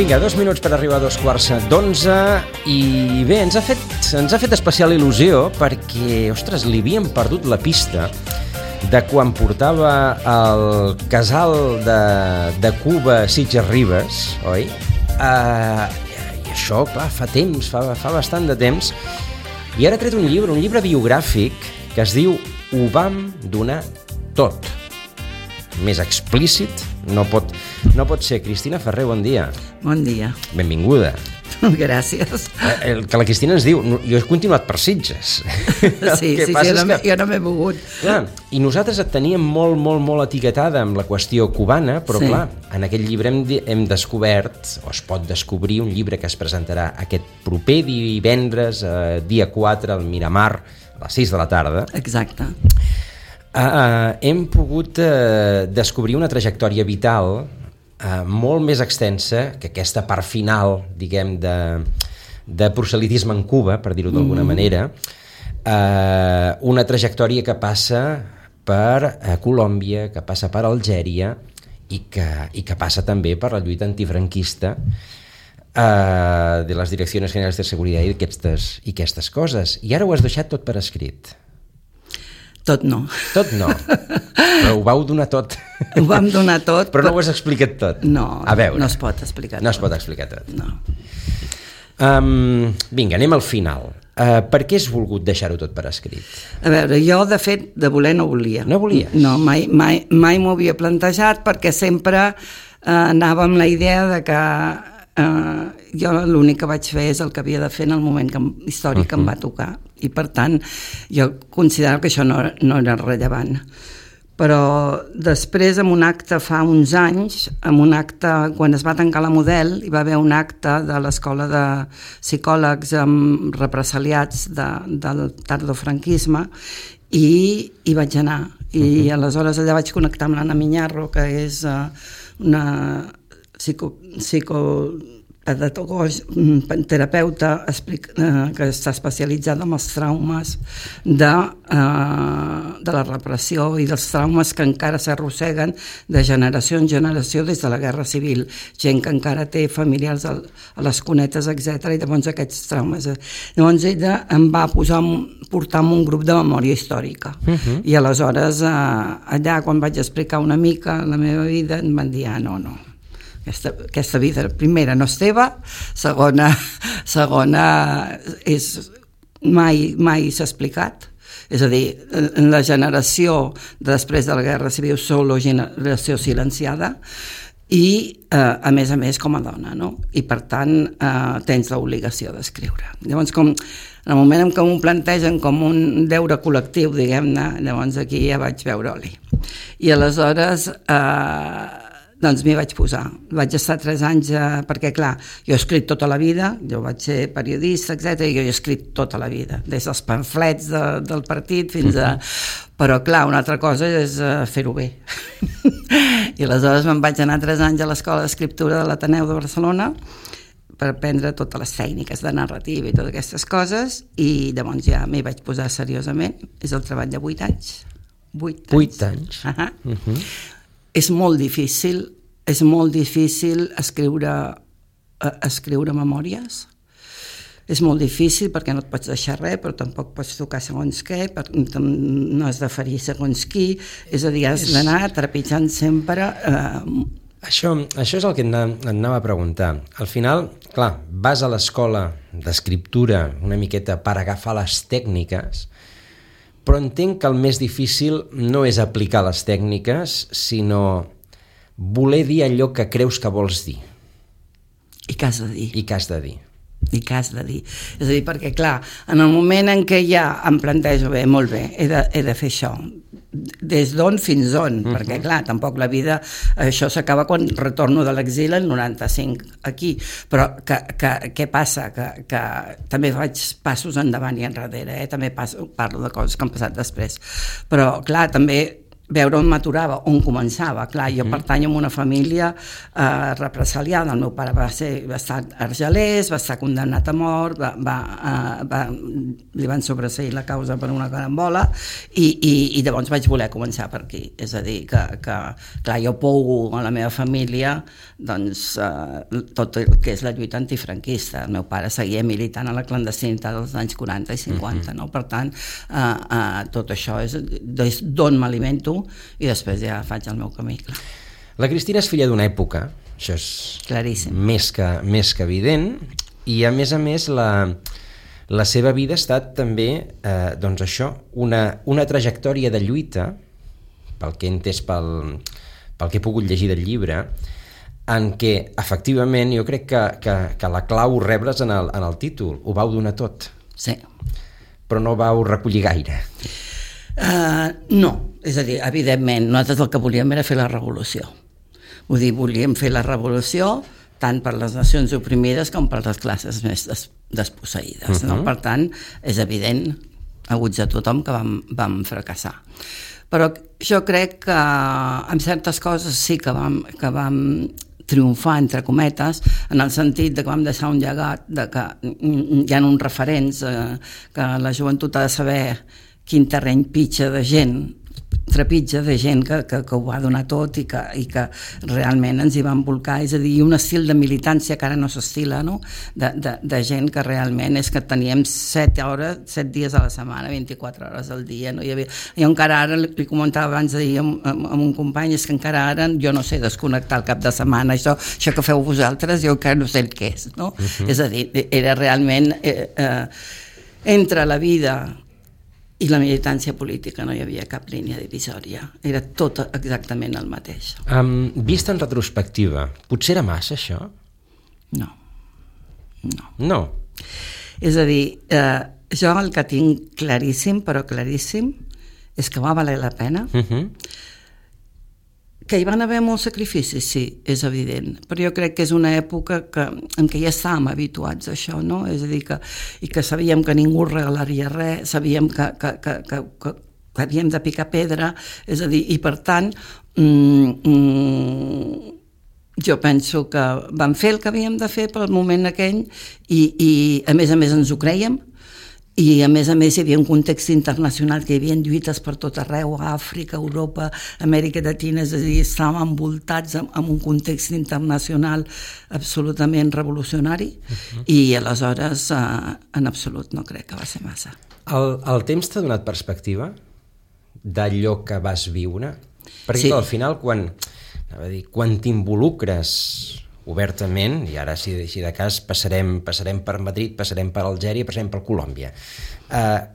Vinga, 2 minuts per arribar a 2:15 i bé, ens ha fet especial il·lusió perquè, ostres, li havíem perdut la pista de quan portava el casal de Cuba Sitges Ribes, oi? I això, clar, fa temps, fa bastant de temps, i ara ha tret un llibre biogràfic que es diu Ho vam donar tot. Més explícit no pot ser. Cristina Ferrer, bon dia. Bon dia. Benvinguda. Gràcies. El que la Cristina ens diu, jo he continuat per Sitges. Sí, jo no m'he mogut. Clar, i nosaltres et teníem molt etiquetada amb la qüestió cubana, però clar, en aquest llibre hem descobert, o es pot descobrir, un llibre que es presentarà aquest proper divendres, dia 4, al Miramar, a les 6 de la tarda. Exacte. Hem pogut descobrir una trajectòria vital molt més extensa que aquesta part final, diguem, de proselitisme en Cuba, per dir-ho d'alguna manera, una trajectòria que passa per Colòmbia, que passa per Algèria i que passa també per la lluita antifranquista de les Direccions Generals de Seguretat i aquestes coses. I ara ho has deixat tot per escrit. Tot no. Tot no, però ho vau donar tot. Ho vam donar tot. Però no ho has explicat tot. No, a veure, no es pot explicar tot. No es pot explicar tot. No. Vinga, anem al final. Per què has volgut deixar-ho tot per escrit? A veure, jo de fet de voler no volia. No volies? No, mai m'ho havia plantejat perquè sempre anava amb la idea de que jo l'únic que vaig fer és el que havia de fer en el moment històric que em va tocar, i per tant jo considero que això no era rellevant. Però després, en un acte fa uns anys, quan es va tancar la Model, hi va haver un acte de l'Escola de Psicòlegs represaliats del tardofranquisme, i hi vaig anar, i aleshores allà vaig connectar amb l'Anna Miñarro, que és una terapeuta que està especialitzada en els traumes de la repressió i dels traumes que encara s'arrosseguen de generació en generació des de la Guerra Civil, gent que encara té familiars a les cunetes, etc. I llavors aquests traumes. Llavors ella em va portar en un grup de memòria històrica, i aleshores allà, quan vaig explicar una mica la meva vida, em van dir, no, aquesta vida, primera, no és teva, segona és mai s'ha explicat. És a dir, la generació després de la Guerra Civil solo generació silenciada, i a més com a dona, no? I per tant tens l'obligació d'escriure. Llavors, en el moment en què m'ho plantegen com un deure col·lectiu, diguem-ne, llavors aquí ja vaig veure oli. I aleshores doncs m'hi vaig posar. Vaig estar 3 anys, perquè clar, jo he escrit tota la vida, jo vaig ser periodista, etc. I jo he escrit tota la vida, des dels pamflets del partit fins a... Però clar, una altra cosa és fer-ho bé. I aleshores me'n vaig anar 3 anys a l'Escola d'Escriptura de l'Ateneu de Barcelona per aprendre totes les tècniques de narrativa i totes aquestes coses, i llavors ja m'hi vaig posar seriosament. És el treball de 8 anys. 8 anys? És molt difícil escriure memòries. És molt difícil perquè no et pots deixar res, però tampoc pots tocar segons què, no has de ferir segons qui, és a dir, has d'anar trepitjant sempre. Això és el que et anava a preguntar. Al final, clar, vas a l'escola d'escriptura una miqueta per agafar les tècniques, però entenc que el més difícil no és aplicar les tècniques, sinó voler dir allò que creus que vols dir. I que has de dir. I que has de dir. És a dir, perquè clar, en el moment en què ja em plantejo, molt bé, he de fer això, des d'on fins on, perquè clar, tampoc la vida, això s'acaba quan retorno de l'exili el 95 aquí, però què passa? Que també faig passos endavant i enrere, també parlo de coses que han passat després, però clar, també veure on m'aturava, on començava. Clar, jo pertanyo a una família represaliada. El meu pare va estar argelers, va estar condemnat a mort, li van sobreseir la causa per una carambola i llavors vaig voler començar per aquí. És a dir, que clar, jo pougo a la meva família doncs, tot el que és la lluita antifranquista. El meu pare seguia militant a la clandestinitat dels anys 40 i 50, no? Per tant, tot això és d'on m'alimento i després ja faig el meu camí, clar. La Cristina és filla d'una època, això és claríssim, més que evident, i a més la seva vida ha estat també doncs això, una trajectòria de lluita, pel que he entès pel que he pogut llegir del llibre, en què efectivament jo crec que la clau ho rebles en el títol, ho vau donar tot. Sí. Però no vau recollir gaire. No, és a dir, evidentment, nosaltres el que volíem era fer la revolució. Vull dir, volíem fer la revolució tant per les nacions oprimides com per les classes més desposseïdes. No? Per tant, és evident, a ulls de tothom, que vam fracassar. Però jo crec que en certes coses sí que vam triomfar, entre cometes, en el sentit de que vam deixar un llegat, de que hi ha uns referents, que la joventut ha de saber quin terreny trepitja de gent que ho va donar tot i que realment ens hi van volcar, és a dir, un estil de militància que ara no s'estila, no? De gent que realment és que teníem 7 dies a la setmana, 24 hores al dia, no? Jo encara ara, li comentava abans d'ahir amb un company, és que encara ara, jo no sé desconnectar el cap de setmana, això que feu vosaltres, jo encara no sé el què és, no? És a dir, era realment entre la vida i la militància política no hi havia cap línia divisòria, era tot exactament el mateix. Vist en retrospectiva, potser era massa això? No. És a dir, jo el que tinc claríssim, però claríssim, és que va valer la pena. Que hi van haver molts sacrificis, sí, és evident, però jo crec que és una època en què ja estàvem habituats a això, no? És a dir, que sabíem que ningú regalaria res, sabíem que havíem de picar pedra, és a dir, i per tant, jo penso que vam fer el que havíem de fer pel moment aquell i a més ens ho crèiem, i a més hi havia un context internacional que hi havia lluites per tot arreu, a Àfrica, Europa, Amèrica Llatina, és a dir, estàvem envoltats amb un context internacional absolutament revolucionari i aleshores en absolut no crec que va ser massa. El temps t'ha donat perspectiva d'allò que vas viure? Perquè al final quan t'involucres obertament, i ara si de cas passarem per Madrid, passarem per Algèria, passarem per Colòmbia.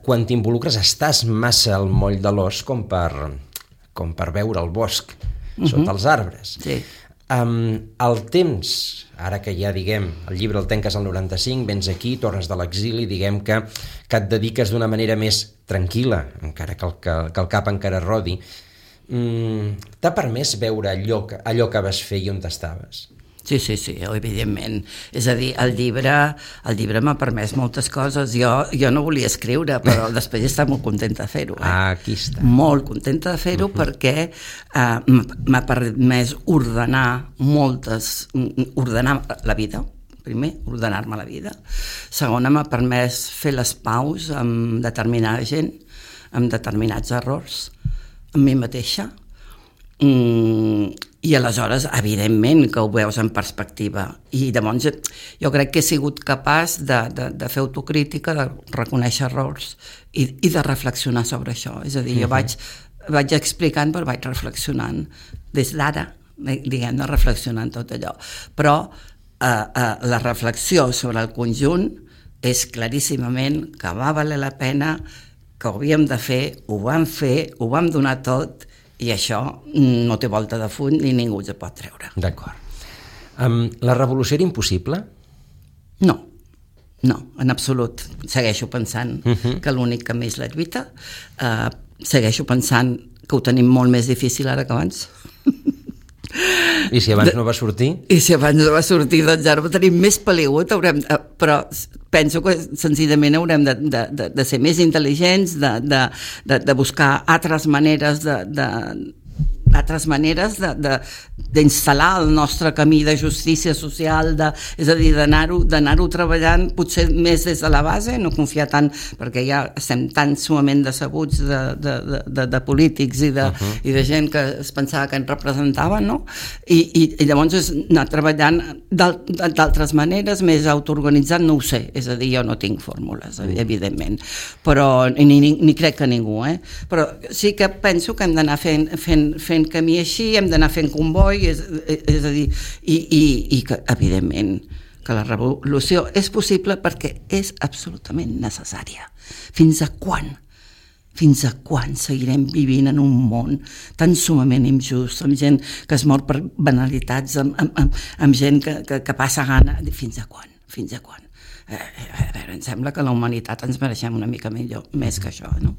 Quan t'involucres estàs massa al moll de l'os com per veure el bosc sota els arbres. Sí. El temps, ara que ja diguem, el llibre el tanques al 95, vens aquí, tornes de l'exili, diguem que et dediques d'una manera més tranquil·la, encara que el cap encara rodi, t'ha permès veure allò que vas fer i on estaves? Sí, evidentment. És a dir, el llibre m'ha permès moltes coses. Jo no volia escriure, però després estava molt contenta de fer-ho. Aquí està. Molt contenta de fer-ho perquè m'ha permès ordenar la vida. Primer, ordenar-me la vida. Segona, m'ha permès fer les paus amb determinada gent, amb determinats errors, amb mi mateixa. I aleshores, evidentment, que ho veus en perspectiva. I llavors jo crec que he sigut capaç de fer autocrítica, de reconèixer errors i de reflexionar sobre això. És a dir, jo vaig explicant, però vaig reflexionant des d'ara, diguem-ne, reflexionant tot allò. Però la reflexió sobre el conjunt és claríssimament que va valer la pena, que ho havíem de fer, ho vam donar tot, i això no té volta de full ni ningú es pot treure. D'acord. La revolució era impossible? No, en absolut. Segueixo pensant que l'únic camí és la lluita. Segueixo pensant que ho tenim molt més difícil ara que abans. I si abans no va sortir? I si abans no va sortir, doncs ara ho tenim més peligut, però penso que senzillament haurem de ser més intel·ligents, de buscar altres maneres d'instal·lar el nostre camí de justícia social, és a dir, d'anar-ho treballant potser més des de la base, no confiar tant, perquè ja estem tan sumament decebuts de polítics i de gent que es pensava que ens representaven, no? I llavors és anar treballant d'altres maneres, més autoorganitzat, no ho sé, és a dir, jo no tinc fórmules, evidentment, però ni crec que ningú, però sí que penso que hem d'anar fent camí així, hem d'anar fent comboi, és a dir, i que, evidentment, que la revolució és possible perquè és absolutament necessària. Fins a quan? Fins a quan seguirem vivint en un món tan sumament injust, amb gent que es mor per banalitats, amb gent que passa gana? Fins a quan? Fins a quan? A veure, em sembla que la humanitat ens mereixem una mica millor, més que això, no?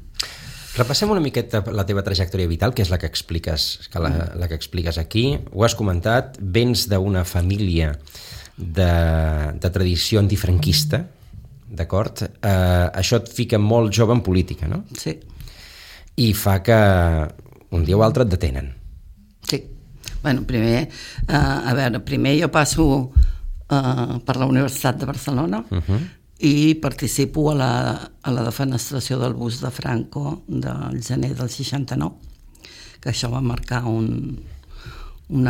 Repassem una miqueta la teva trajectòria vital, que és la que expliques aquí. Ho has comentat, vens d'una família de tradició antifranquista, d'acord? Això et fica molt jove en política, no? Sí. I fa que un dia o altre et detenen. Sí. Bueno, primer jo passo per la Universitat de Barcelona, i participo a la defenestració del bus de Franco del gener del 69, que això va marcar un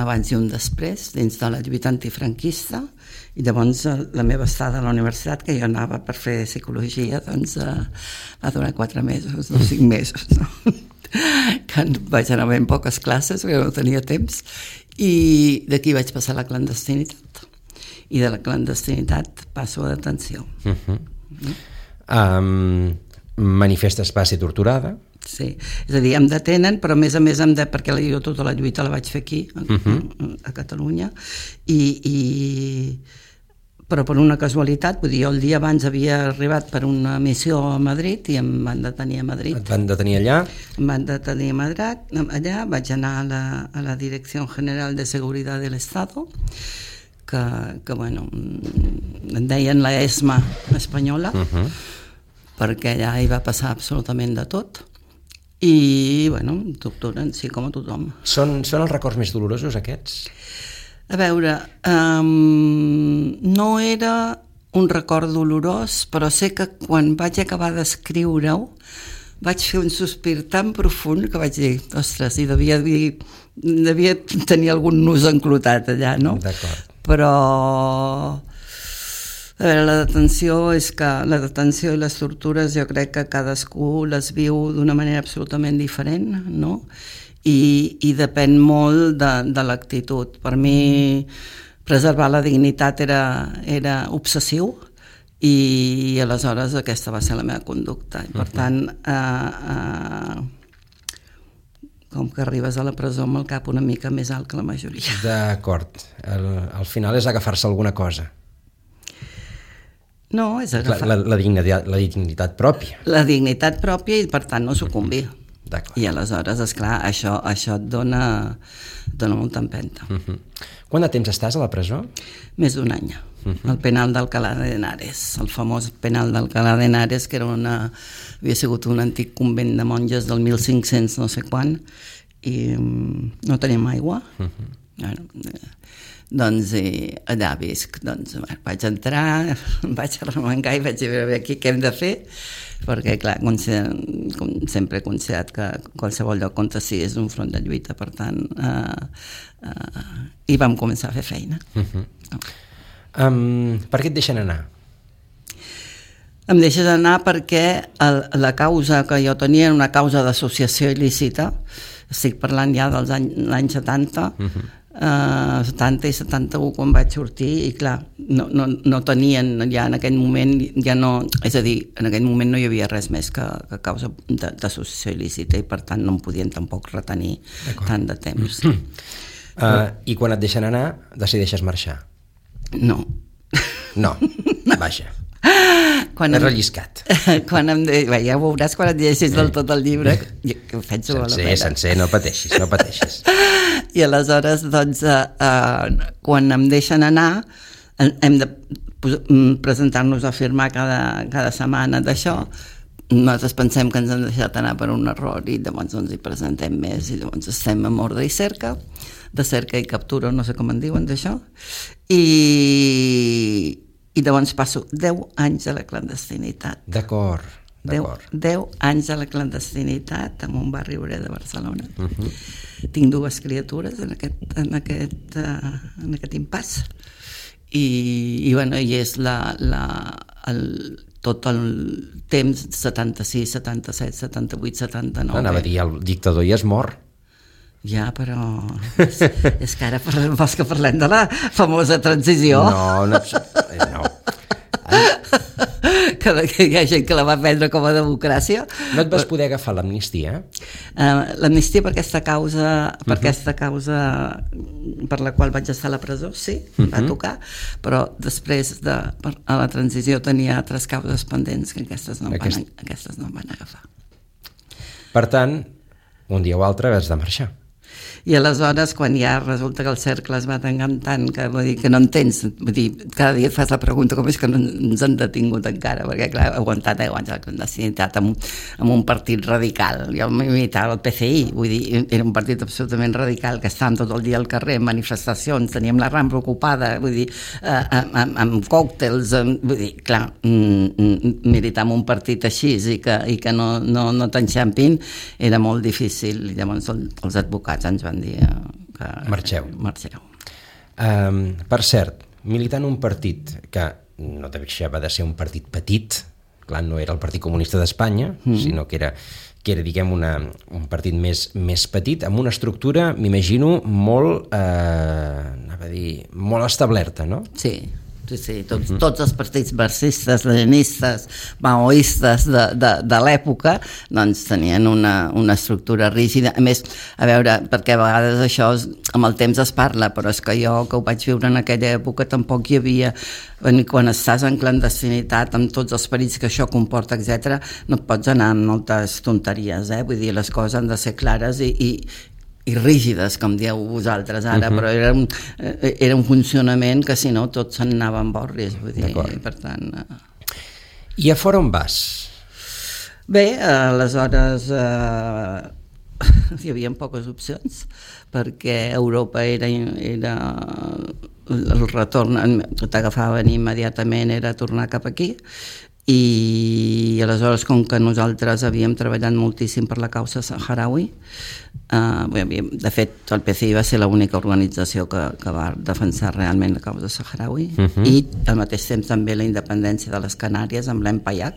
abans i un després dins de la lluita antifranquista, i llavors la meva estada a la universitat, que jo anava per fer psicologia, doncs va durar 4 mesos, no 5 mesos, no? Que vaig anar ben poques classes perquè no tenia temps, i d'aquí vaig passar a la clandestinitat, i de la clandestinitat passo a detenció. Manifestes va ser torturada? Sí, és a dir, em detenen, però a més perquè jo tota la lluita la vaig fer aquí, a Catalunya, però per una casualitat, vull dir, jo el dia abans havia arribat per una missió a Madrid i em van detenir a Madrid. Et van detenir allà? Em van detenir a Madrid, allà vaig anar a la Dirección General de Seguridad del Estado, que bueno, en deien la ESMA espanyola, perquè allà hi va passar absolutament de tot, i bueno, torturen, sí, com a tothom. Són els records més dolorosos aquests? A veure, no era un record dolorós, però sé que quan vaig acabar d'escriure-ho vaig fer un sospir tan profund que vaig dir, ostres, i devia tenir algun nus enclotat allà, no? D'acord. Però a veure, la detenció i les tortures jo crec que cadascú les viu d'una manera absolutament diferent, no? I depèn molt de l'actitud. Per mi preservar la dignitat era obsessiu, i aleshores aquesta va ser la meva conducta, i per tant com que arribes a la presó amb el cap una mica més alt que la majoria. D'acord. Al final és agafar-se alguna cosa. No, és agafar... La dignitat pròpia. La dignitat pròpia, i per tant no sucumbir. D'acord. I aleshores, esclar, això et dona molta empenta. Quant de temps estàs a la presó? Més d'1 any. El penal d'Alcalá de Henares, el famós penal d'Alcalá de Henares, que havia sigut un antic convent de monges del 1500 no sé quan, i no teníem aigua. Doncs allà visc. Doncs vaig entrar, vaig arremangar i vaig veure aquí què hem de fer, perquè clar, com sempre he considerat que qualsevol lloc on sí és un front de lluita, per tant i vam començar a fer feina. Per què et deixen anar? Em deixes anar perquè la causa que jo tenia era una causa d'associació il·lícita. Estic parlant ja dels anys 70, 70 i 71 quan vaig sortir, i clar, no tenien ja en aquell moment, ja no, és a dir, en aquell moment no hi havia res més que causa d'associació il·lícita, i per tant no em podien tampoc retenir tant de temps. I quan et deixen anar, decideixes marxar? No. No, vaja. És relliscat. Ja ho veuràs quan et llegeixis del tot el llibre, que ho penso a la pena. Sencer, no pateixis. I aleshores, doncs, quan em deixen anar, hem de presentar-nos a firmar cada setmana d'això. Nosaltres pensem que ens han deixat anar per un error i llavors ens hi presentem més i llavors estem amb ordre i cerca, de cerca i captura, no sé com en diuen d'això, i llavors passo 10 anys a la clandestinitat. D'acord. 10 anys a la clandestinitat en un barri obrer de Barcelona. Tinc 2 criatures en aquest impàs i és tot el temps 76, 77, 78, 79. Anava a dir, el dictador ja és mort. Ja, però és que ara vols que parlem de la famosa transició? No. Que hi ha gent que la va prendre com a democràcia. No et vas poder agafar l'amnistia? L'amnistia per aquesta causa per la qual vaig estar a la presó, sí, va tocar, però després a la transició tenia altres causes pendents que aquestes no em van agafar. Per tant, un dia o altre has de marxar. I aleshores, quan ja resulta que el cercle es va tancant tant, que vull dir que no entens, vull dir, cada dia et fas la pregunta com és que no ens han detingut encara, perquè clar, he aguantat 10 anys a la clandestinitat amb un partit radical. Jo militava el PCI, vull dir, era un partit absolutament radical, que estàvem tot el dia al carrer, en manifestacions, teníem la Rambla ocupada, vull dir, amb còctels, vull dir, clar, militar en un partit així i que no t'enxampin era molt difícil, i llavors els advocats ens van dir que marxeu. Per cert, militant un partit que no deixava de ser un partit petit, clar, no era el Partit Comunista d'Espanya, sinó que era diguem, un partit més petit, amb una estructura, m'imagino, molt establerta, no? Sí, tots els partits marxistes, leninistes, maoistes de l'època doncs tenien una estructura rígida. A més, a veure, perquè a vegades això amb el temps es parla, però és que jo que ho vaig viure en aquella època tampoc hi havia, quan estàs en clandestinitat amb tots els perills que això comporta, etc., no et pots anar amb moltes tonteries, vull dir, les coses han de ser clares i rígides, com dieu vosaltres ara, però era un funcionament que si no tot se'n anava en borris, vull dir, per tant... I a fora on vas? Bé, aleshores hi havia poques opcions, perquè Europa era el retorn, t'agafaven immediatament, era tornar cap aquí, i aleshores, com que nosaltres havíem treballat moltíssim per la causa saharaui, de fet el PCI va ser l'única organització que va defensar realment la causa saharaui, i al mateix temps també la independència de les Canàries amb l'EMPAIAC,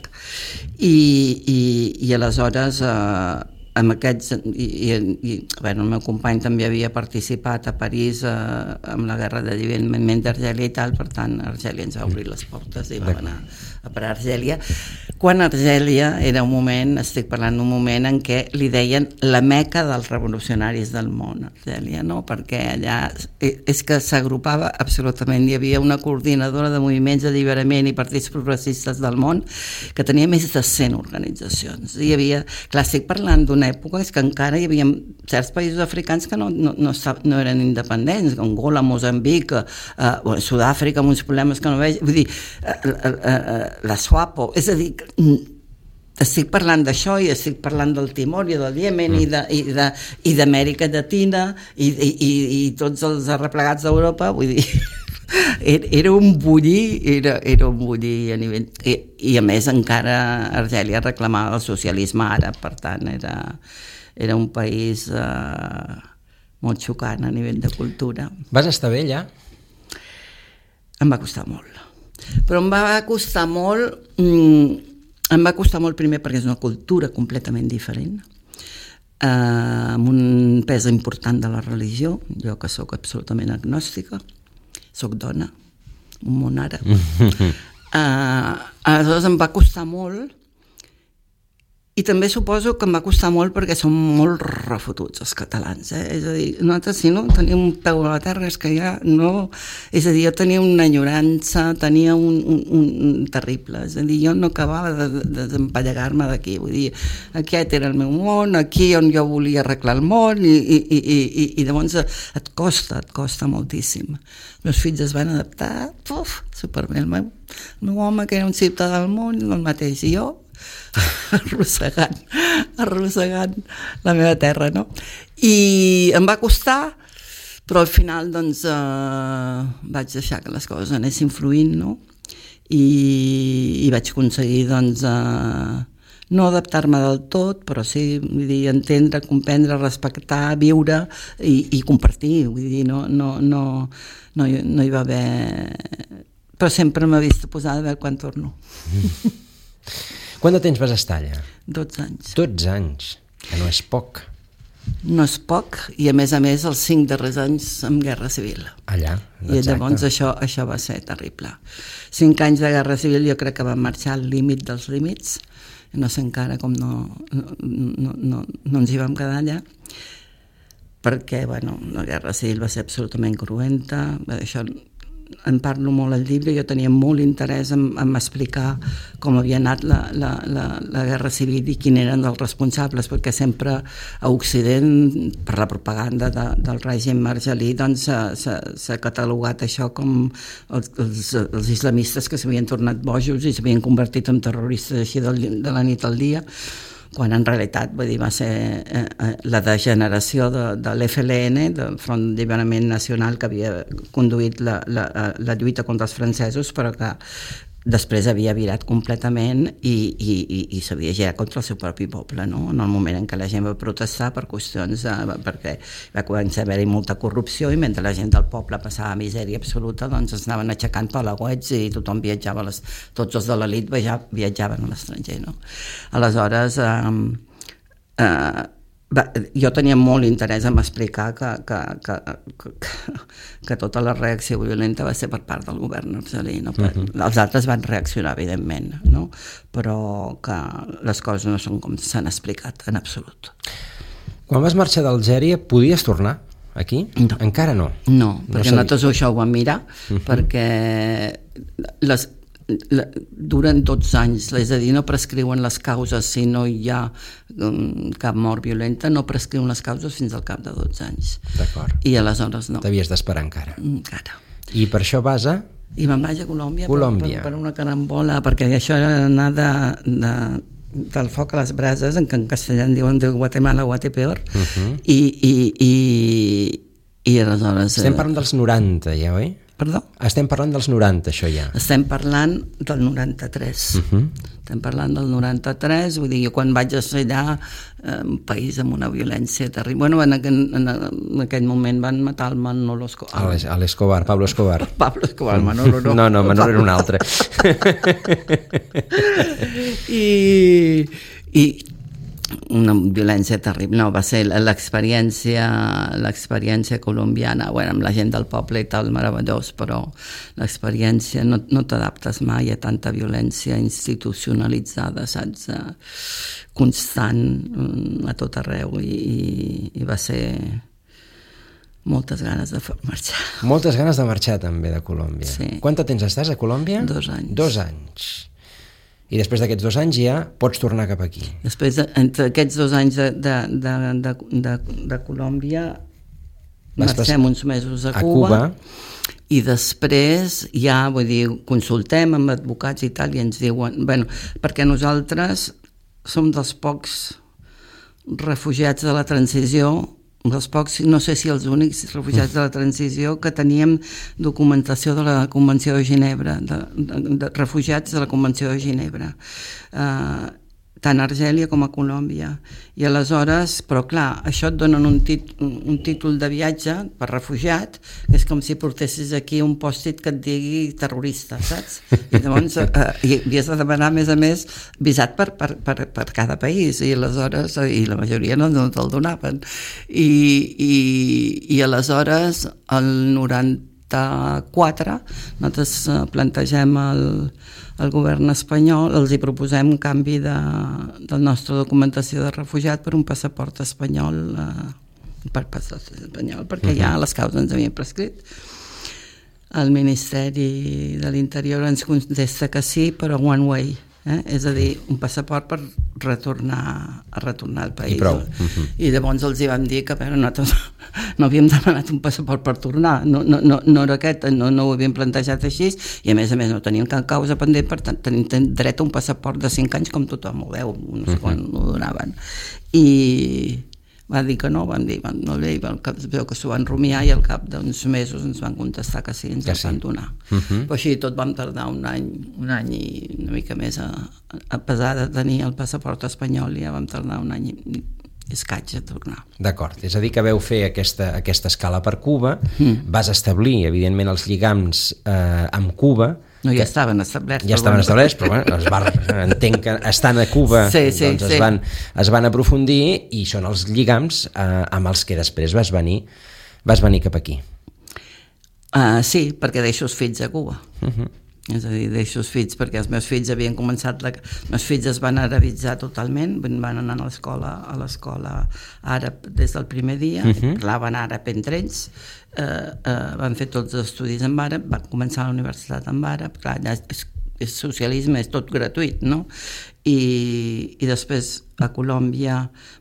i aleshores amb aquests, el meu company també havia participat a París amb la guerra d'alliberament d'Argèlia i tal, per tant Argèlia ens va obrir les portes i vam anar a per Argèlia, quan Argèlia era un moment, estic parlant d'un moment en què li deien la meca dels revolucionaris del món, Argèlia, no? Perquè allà és que s'agrupava absolutament, hi havia una coordinadora de moviments d'alliberament i partits progressistes del món que tenia més de 100 organitzacions, hi havia, clar, estic parlant d'una època és que encara hi havia certs països africans que no eren independents, Angola, Moçambic, Sud-àfrica amb uns problemes que no veig, vull dir, la SWAPO, és a dir, estic parlant d'això i estic parlant del Timor i del Iemen i d'Amèrica Llatina i tots els arreplegats d'Europa, vull dir, era un bullir a nivell, i a més encara Argèlia reclamava el socialisme àrab, per tant era un país molt xocant a nivell de cultura. Vas estar bé allà? Em va costar molt, però em va costar molt primer perquè és una cultura completament diferent, amb un pes important de la religió, jo que sóc absolutament agnòstica, sóc dona, un món àrab. Aleshores em va costar molt I també suposo que em va costar molt perquè som molt refotuts els catalans, És a dir, nosaltres si no tenim un peu a la terra és que ja no... És a dir, jo tenia una enyorança, tenia un terrible, és a dir, jo no acabava de desempallegar-me d'aquí, vull dir, aquest era el meu món, aquí on jo volia arreglar el món i llavors et costa moltíssim. Els meus fills es van adaptar, superbé, el meu home que era un ciutadà del món, el mateix, i jo arrossegant la meva terra, no? I em va costar, però al final doncs vaig deixar que les coses anessin fluint, no? I vaig aconseguir doncs no adaptar-me del tot, però sí, vull dir, entendre, comprendre, respectar, viure i compartir, vull dir, no hi va haver... Però sempre m'he vist posada a veure quan torno. Quant de temps vas estar allà? 12 anys. 12 anys, que no és poc. No és poc, i a més els 5 darrers anys amb Guerra Civil. Allà, exacte. I llavors això va ser terrible. 5 anys de Guerra Civil jo crec que van marxar al límit dels límits, no sé encara com no ens hi vam quedar allà, perquè, la Guerra Civil va ser absolutament cruenta, això en parlo molt al llibre, jo tenia molt interès en explicar com havia anat la Guerra Civil i quins eren els responsables, perquè sempre a Occident, per la propaganda del règim marjalí, doncs s'ha catalogat això com els islamistes que s'havien tornat bojos i s'havien convertit en terroristes així de la nit al dia, quan en realitat va ser la degeneració de l'FLN, del Front d'Alliberament Nacional, que havia conduït la lluita contra els francesos, però que després havia virat completament i s'havia girat contra el seu propi poble, no? En el moment en què la gent va protestar per qüestions perquè va començar a haver-hi molta corrupció i mentre la gent del poble passava misèria absoluta, doncs es anaven aixecant palauets i tothom viatjava, tots els de l'elit viatjaven a l'estranger, no? Aleshores jo tenia molt interès en explicar que tota la reacció violenta va ser per part del govern argelí, no? Els altres van reaccionar, evidentment, no? Però que les coses no són com s'han explicat en absolut. Quan vas marxar d'Algèria, podies tornar aquí? No. Encara no? No, perquè nosaltres això ho vam mirar, perquè duren 12 anys, és a dir, no prescriuen les causes si no hi ha cap mort violenta, no prescriuen les causes fins al cap de 12 anys. D'acord. I aleshores no. T'havies d'esperar encara. Encara. I per això vas a? I me'n vaig a Colòmbia. Per una carambola, perquè això era anar del foc a les brases, en què en castellà en diuen de Guatemala a Guatepeor, i aleshores... Estem parlant dels 90 ja, oi? Perdó? Estem parlant dels 90, això ja. Estem parlant del 93. Estem parlant del 93, vull dir, jo quan vaig ser allà, un país amb una violència terrible. Bueno, en aquell moment van matar el Manolo Escobar. L'Escobar, Pablo Escobar. Pablo Escobar, Manolo no. No, Manolo era un altre. I una violència terrible, no, va ser l'experiència colombiana, bueno, amb la gent del poble i tal, meravellós, però l'experiència no t'adaptes mai a tanta violència institucionalitzada, saps, constant a tot arreu, i va ser moltes ganes de marxar. Moltes ganes de marxar també de Colòmbia. Sí. Quant temps estàs a Colòmbia? 2 anys. 2 anys. I després d'aquests 2 anys ja pots tornar cap aquí. Després, entre aquests 2 anys de Colòmbia, marxem uns mesos a Cuba, i després ja, vull dir, consultem amb advocats i tal, i ens diuen, bueno, perquè nosaltres som dels pocs refugiats de la transició, dels pocs, no sé si els únics refugiats de la transició, que teníem documentació de la Convenció de Ginebra, de refugiats de la Convenció de Ginebra, tant a Argèlia com a Colòmbia. I aleshores, però clar, això et donen un títol de viatge per refugiat, que és com si portessis aquí un pòstit que et digui terrorista, saps? I llavors havies de demanar, a més, visat per cada país, i aleshores, i la majoria no te'l donaven. I aleshores, el 90 94, nosaltres plantegem al govern espanyol, els hi proposem un canvi de nostra documentació de refugiat per un passaport espanyol, perquè ja les causes ens havien prescrit. El Ministeri de l'Interior ens contesta que sí, però one way, és a dir, un passaport per retornar al país. I prou. I llavors els hi vam dir que nosaltres no havíem demanat un passaport per tornar, no era aquest, no ho havíem plantejat així, i a més no teníem cap causa pendent, per tant tenim dret a un passaport de 5 anys com tothom ho veu, no sé quan ho donaven. I va dir que no, vam dir, no bé, veu que s'ho van rumiar i al cap d'uns mesos ens van contestar que sí, ens el van donar. Però així tot vam tardar un any i una mica més a pesar de tenir el passaport espanyol, ja vam tardar un any i escaig a tornar. D'acord, és a dir que veu fer aquesta escala per Cuba, vas establir evidentment els lligams amb Cuba. No, ja estaven establerts. Ja estaven establerts, però entenc que estan a Cuba, es van aprofundir i són els lligams amb els que després vas venir cap aquí. Sí, perquè deixo els fills a Cuba. És a dir, deixo els fills perquè els meus fills havien començat, els meus fills es van arabitzar totalment, van anar a l'escola àrab des del primer dia, parlaven àrab entre ells, van fer tots els estudis en àrab, van començar a la universitat en àrab, clar, és socialisme, és tot gratuït, no? I després a Colòmbia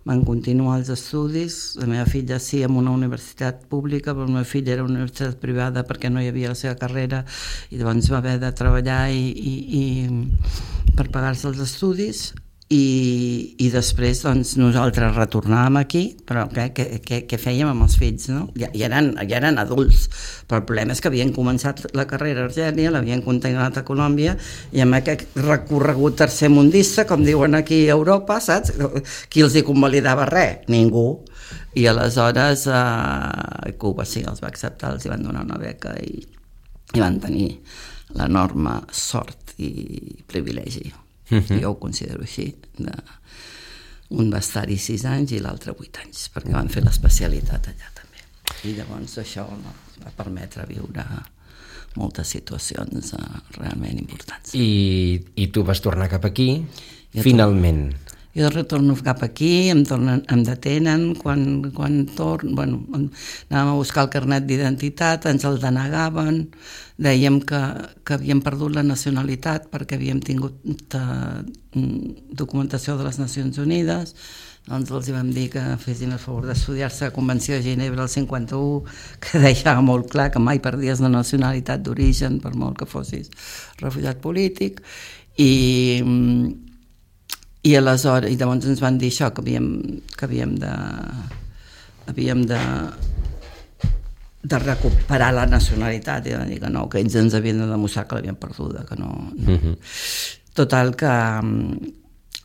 van continuar els estudis, la meva filla sí en una universitat pública, però el meu fill era una universitat privada perquè no hi havia la seva carrera i llavors va haver de treballar per pagar-se els estudis i després doncs, nosaltres retornàvem aquí, però què fèiem amb els fills? No? Ja eren adults, però el problema és que havien començat la carrera a Argèlia, l'havien continuat a Colòmbia i amb aquest recorregut tercermundista, com diuen aquí a Europa, saps? Qui els hi convalidava res? Ningú. I aleshores Cuba sí, els va acceptar, els hi van donar una beca i van tenir l'enorme sort i privilegi. Jo ho considero així, un va estar-hi 6 anys i l'altre 8 anys, perquè van fer l'especialitat allà també. I llavors això va permetre viure moltes situacions realment importants. I tu vas tornar cap aquí, finalment. Jo retorno cap aquí, em detenen, quan torno, anàvem a buscar el carnet d'identitat, ens el denegaven, dèiem que havíem perdut la nacionalitat perquè havíem tingut documentació de les Nacions Unides, doncs els vam dir que fessin el favor d'estudiar-se la Convenció de Ginebra del 51, que deixava molt clar que mai perdies la nacionalitat d'origen, per molt que fossis refugiat polític, i aleshores, i llavors ens van dir això, que havíem de recuperar la nacionalitat, i van dir que no, que ells ens havien de demostrar que l'havien perduda, que no. Total, que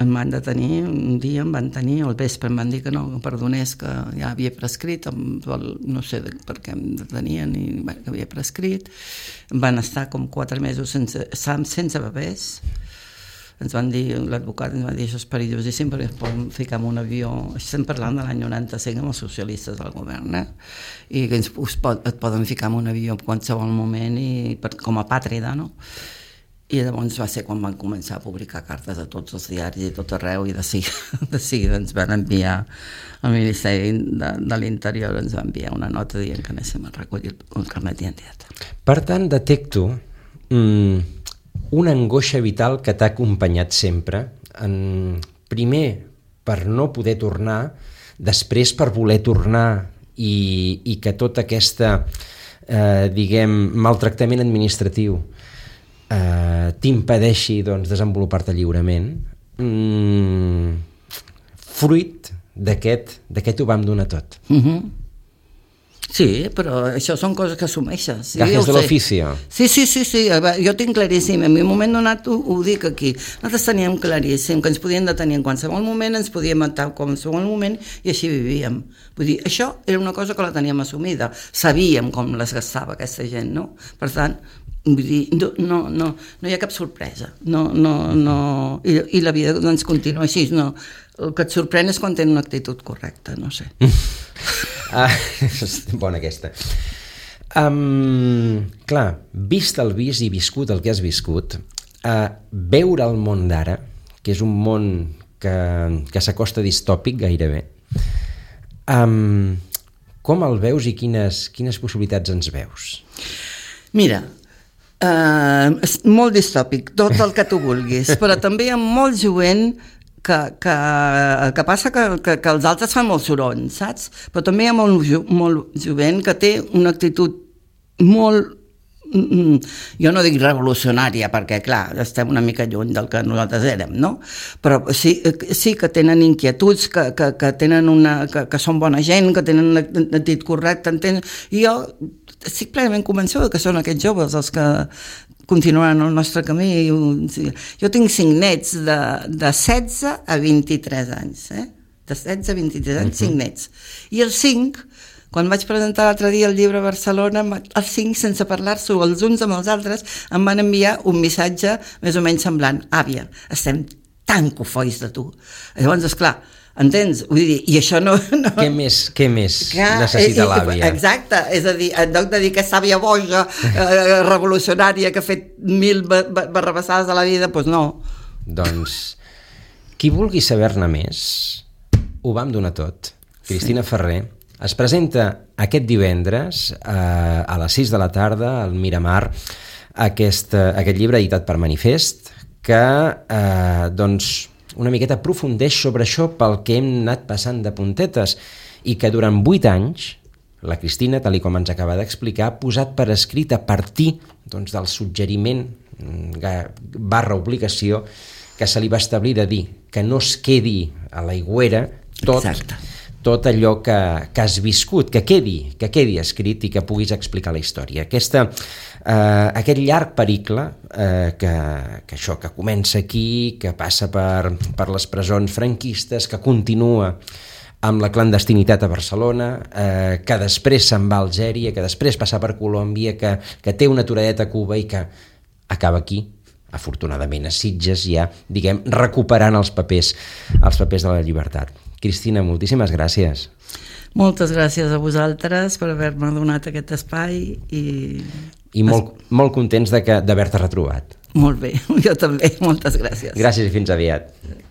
em van detenir, un dia em van tenir, al vespre em van dir que no, que perdonés, que ja havia prescrit, no sé per què em detenien, que havia prescrit. Van estar com 4 mesos sense bebès. Ens van dir, l'advocat ens va dir, això és perillosíssim perquè es poden ficar en un avió, estem parlant de l'any 95 amb els socialistes del govern, i que et poden ficar en un avió en qualsevol moment com a pàtrida, no? I llavors va ser quan van començar a publicar cartes a tots els diaris i tot arreu, i de seguida ens van enviar al Ministeri de l'Interior, ens va enviar una nota dient que anéssim a recollir el carnet d'identitat. Per tant, detecto una angoixa vital que t'ha acompanyat sempre, primer per no poder tornar, després per voler tornar i que tot aquesta, maltractament administratiu t'impedeixi desenvolupar-te lliurement, fruit d'aquest ho vam donar tot. Sí, però això són coses que assumeixes. Gajes de l'oficio. Sí, jo tinc claríssim, en un moment donat ho dic aquí, nosaltres teníem claríssim que ens podien detenir en qualsevol moment, ens podíem matar en qualsevol moment i així vivíem. Vull dir, això era una cosa que la teníem assumida, sabíem com les gastava aquesta gent, no? Per tant, vull dir, no hi ha cap sorpresa, i la vida doncs continua així, no. El que et sorprèn és quan tenen una actitud correcta, no sé. Bona aquesta. Clar, vist el vist i viscut el que has viscut, veure el món d'ara, que és un món que s'acosta distòpic gairebé, com el veus i quines possibilitats ens veus? Mira, molt distòpic, tot el que tu vulguis, però també hi ha molt jovent que passa que els altres fan molt soroll, saps? Però també hi ha molt jovent que té una actitud molt, jo no dic revolucionària, perquè clar, estem una mica lluny del que nosaltres érem, no? Però sí que tenen inquietuds, que tenen que són bona gent, que tenen l'actitud correcta, i jo estic plenament convençuda que són aquests joves els que continuaran el nostre camí. Jo tinc 5 nets de 16 a 23 anys, de 16 a 23 anys, 5 nets. I els 5, quan vaig presentar l'altre dia el llibre a Barcelona, els 5, sense parlar-s'ho els uns amb els altres, em van enviar un missatge més o menys semblant: àvia, estem tan cofois de tu. Llavors, esclar, entens? Vull dir, i això no... Què més necessita l'àvia? Exacte, és a dir, en lloc de dir que és àvia boja, revolucionària, que ha fet 1000 barrabassades a la vida, doncs no. Doncs, qui vulgui saber-ne més, ho vam donar tot. Cristina Ferrer es presenta aquest divendres a les 6 de la tarda al Miramar aquest llibre editat per Manifest, que doncs una miqueta aprofundeix sobre això pel que hem anat passant de puntetes i que durant 8 anys la Cristina, tal com ens acaba d'explicar, ha posat per escrit a partir doncs, del suggeriment / obligació que se li va establir de dir que no es quedi a l'aigüera tot allò que has viscut, que quedi escrit i que puguis explicar la història. Aquest llarg pericle que comença aquí, que passa per les presons franquistes, que continua amb la clandestinitat a Barcelona, que després se'n va a Algèria, que després passa per Colòmbia, que té una aturadeta a Cuba i que acaba aquí, afortunadament a Sitges, ja, diguem, recuperant els papers de la llibertat. Cristina, moltíssimes gràcies. Moltes gràcies a vosaltres per haver-me donat aquest espai i molt contents d'haver-te retrobat. Molt bé, jo també, moltes gràcies. Gràcies i fins aviat.